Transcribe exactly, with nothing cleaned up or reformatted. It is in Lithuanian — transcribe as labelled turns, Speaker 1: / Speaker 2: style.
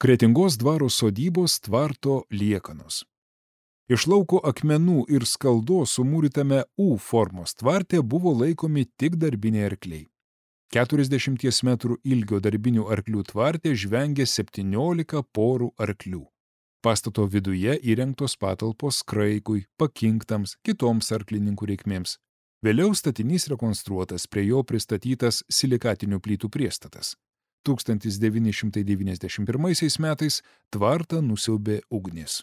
Speaker 1: Kretingos dvaro sodybos tvarto liekanos. Iš lauko akmenų ir skaldos sumūrytame U formos tvarte buvo laikomi tik darbiniai arkliai. keturiasdešimties metrų ilgio darbinių arklių tvarte žvengė septyniolika porų arklių. Pastato viduje įrengtos patalpos kraikui, pakinktams, kitoms arklininkų reikmėms. Vėliau statinys rekonstruotas, prie jo pristatytas silikatinių plytų priestatas. tūkstantis devyni šimtai devyniasdešimt pirmaisiais metais tvartą nusiaubė ugnis.